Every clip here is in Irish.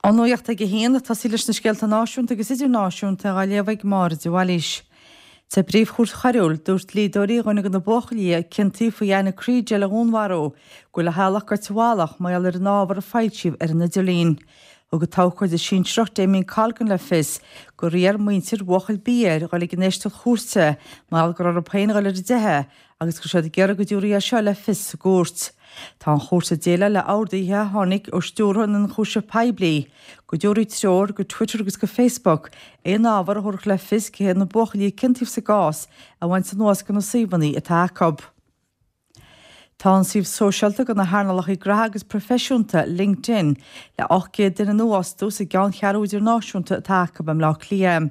An Nuacht ag a haon, ag tosaí leis na scéalta náisiúnta agus idirnáisiúnta á léamh ag Máire de Bhailís. Sa bPríomh-Chúirt Choiriúil, dúirt dlíodóirí dhuine de na buachaillí a ciontaíodh faoi Anna Kriégel a dhúnmharú go bhfuil a theaghlach goite i bhfalach mar gheall ar an ábhar a foilsíodh ar an idirlíon. Thug an t-abhcóide sinsearach Damien Colgan le fios gur iarr muintir bhuachaill B air dhul ag an éisteacht chúirte mar gheall go raibh orthu féin a dhul ar a dteitheadh agus go raibh siad ag iarraidh go dtabharfaí é seo le fios sa gcúirt. Tá an chúirt ag déileáil le orduithe a tháinig ó Stiúrthóir na nIonchúiseamh Poiblí go dtabharfaí treoir go Twitter agus go Facebook aon ábhar a thabharfadh le fios cé hiad na buachaillí a ciontaíodh sa gcás a bhaint anuas de na suíomhanna atá acu. Tá an suíomh sóisialta do na hearnálacha graithe agus proifisiúnta, LinkedIn, le 800 duine nua a fhostú sa gceanncheathrú idirnáisiúnta atá acu i mBleá Cliath.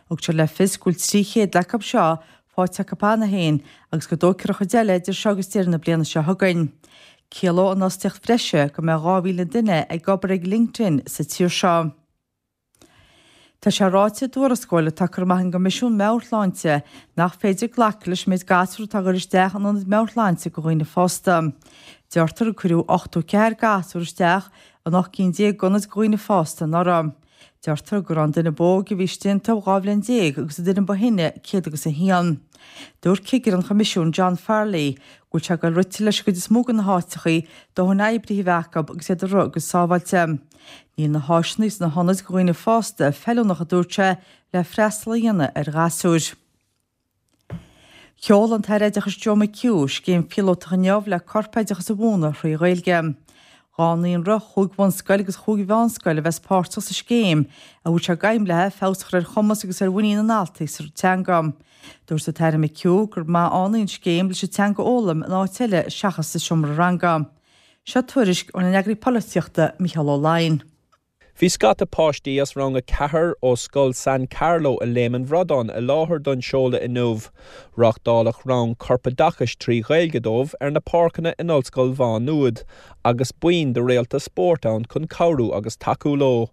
Thug siad le fios go bhfuil 300 acu seo faighte acu cheana féin agus go dtógfar an chuid eile idir seo agus deireadh na bliana seo chugainn. Ciallóidh an fhostaíocht bhreise go mbeidh 2,000 duine ag obair ag LinkedIn sa tír seo. Tá sé ráite i dtuarascáil atá curtha amach ag an gCoimisiún Meabhair-Shláinte nach féidir glacadh leis an méid gasúr atá ag dul isteach in ionaid meabhairshláinte do dhaoine fásta. Deirtear gur cuireadh 84 gasúr isteach in 18 cinn d'ionaid do dhaoine fásta anuraidh. Deirtear go raibh an duine ba óige a bhí istigh iontu 12 bhliain agus an duine ba shine 101. Dúirt cigire an Choimisiúin John Farrelly go bhfuil sé ag dul rite leis an gcuid is mó de na háiteachaí dóthain oibrithe a bheith acu agus iad ag rith go sábháilte. Níl na háiseanna sna hionaid do dhaoine fásta feiliúnach a dúirt sé le freastal a dhéanamh ar ghasúir. Sheol an tAire Oideachais Joe McHugh scéim phíolótach inniu le corpoideachas a mhúineadh thrí Ghaeilge. Dhá naíonra, chúig bhunscoil agus chúig mheánscoil a bheas páirteach sa scéim, a bhfuil sé d'aidhm léi feabhas a chur ar chumas agus ar mhuinín na ndaltaí sa teanga. Dúirt an tAire McHugh gur maith ann í an scéim leis an teanga a fhoghlaim in áit eile seachas sa seomra ranga. Seo tuairisc óna n-eagraí polaitíochta Micheál Ó Laighin. Bhí scata páistí as rang 4 ó Scoil San Carlo i Léim an Bhradáin i láthair don seoladh inniu. Reáchtáladh rang corpoideachais trí Ghaeilge dóibh ar na páirceanna in Ollscoil Mhá Nuad agus buíon de réalta spóirt ann chun cabhrú agus tacú leo.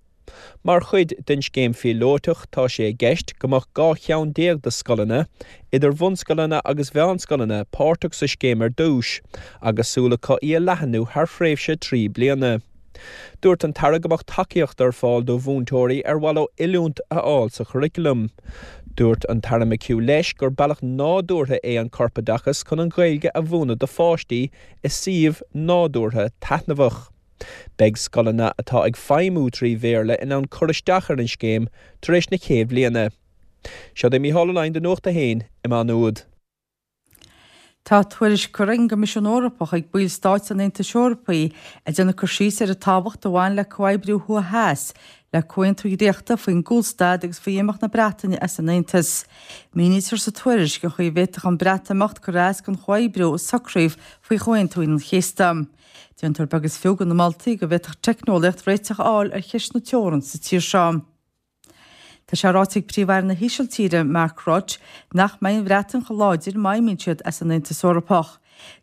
Mar chuid den scéim phíolótach tá sé i gceist go mbeadh 12 cheann de scoileanna, idir bhunscoileanna agus mheánscoileanna, páirteach sa scéim ar dtús agus súil acu í a leathanú thar thréimhse 3 bliana. Dúirt an tAire go mbeadh tacaíocht ar fáil do mhúinteoirí ar mhaith leo oiliúint a fháil sa churaclam. Dúirt an tAire McHugh leis gur bealach nádúrtha é an corpoideachas chun an Ghaeilge a mhúineadh do pháistí i suíomh nádúrtha taitneamhach. Beidh scoileanna atá ag feidhmiú trí Bhéarla in ann cur isteach ar an scéim tar éis na chéad bhliana. Seo é Mícheál Ó Laighin do Nuacht a hAon i Má Nuad. Tá tuairisc curtha ag an gCoimisiún Eorpach chuig baill stáit an Aontais Eorpaigh ag déanamh cur síos ar an tábhacht a bhain le comhoibriú Thuaidh Theas le comhaontú a dhréachtadh faoin gcúlstad agus faoi imeacht na Breataine as an Aontas. Mínítear sa tuairisc an chaoi a bhféadfadh an Breatimeacht cur as don chomhoibriú a socraíodh faoi Chomhaontú Aoine an Chéasta. Déantar beag is fiú de na moltaí go bhféadfadh teicneolaíocht réiteach a fháil ar cheist na teorann sa tír seo. Tá sé ráite ag Príomh-Aire na hÍsiltíre, Mark Rutte, nach mbeidh an Bhreatain chomh láidir má imíonn siad as an Aontas Eorpach.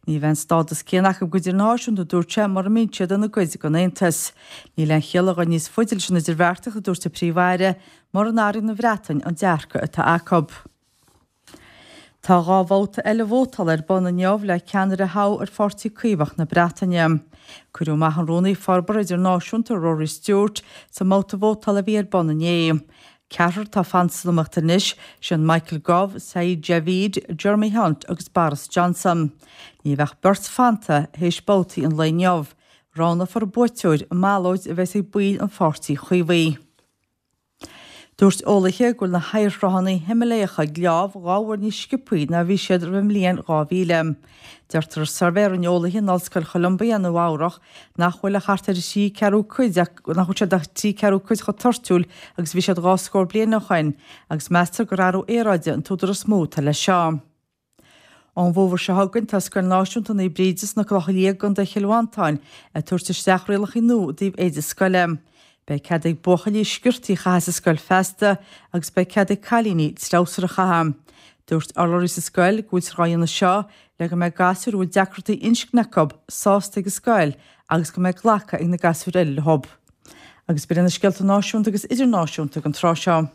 Ní bheidh an stádas céanna acu go hidirnáisiúnta, a dúirt sé, mura mbíonn siad ina gcuid den Aontas. Níl aon chiall a dhul níos faide leis an idirbheartaíocht, a dúirt an Príomh-Aire, mura n-athraíonn an Bhreatain an dearcadh atá acu. Tá 2 bhabhta eile vótála ar bun inniu le ceannaire a thoghadh ar Pháirtí Caomhach na Breataine. Cuireadh amach an Rúnaí Forbartha Idirnáisiúnta Rory Stewart sa mbabhta vótála a bhí ar bun inné. Ceathrar atá fanta san iomaíocht anois, sin Michael Gove, Sajid Javid, Jeremy Hunt agus Boris Johnson. Ní bheidh ach beirt fanta théis babhtaí an lae inniu. Roghnófar an buaiteoir i mballóid a bheas ag baill an Pháirtí Chaomhaigh. Dúirt eolaithe go bhfuil na hoighearshruthanna Himiléacha ag leámh 2 uair níos sciobthaí ná a bhí siad roimh an mbliain 2000. Deirtear i suirbhé a rinne eolaithe in Ollscoil Cholumbia i Nua Eabhrach nach bhfuil ach thart ar thrí ceathrú cuid nach bhfuil siad ach trí ceathrú cuid chomh toirtiúil agus a bhí siad 2 scór bliain ó shoin agus meastar gur athrú aeráide an t-údar is mó atá leis seo. Ón bhfómhar seo chugainn tá Scoil Náisiúnta Naomh Bríde sna Clocha Liatha i gContae Chill Mhantáin ag tabhairt isteach rialacha nua i dtaobh éide scoile. Beidh cead ag buachaillí sciortaí a chaitheamh sa scoil feasta agus beidh cead ag cailíní treabhsar a chaitheamh. Dúirt urlabhraí sa scoil go bhfuiltear á dhéanamh seo le go mbeidh gasúir a bhfuil deacrachtaí inscne acu sásta ag an scoil agus go mbeidh glacadh ag na gasúir eile leo. Agus b'in iad na scéalta náisiúnta agus idirnáisiúnta don tráth seo.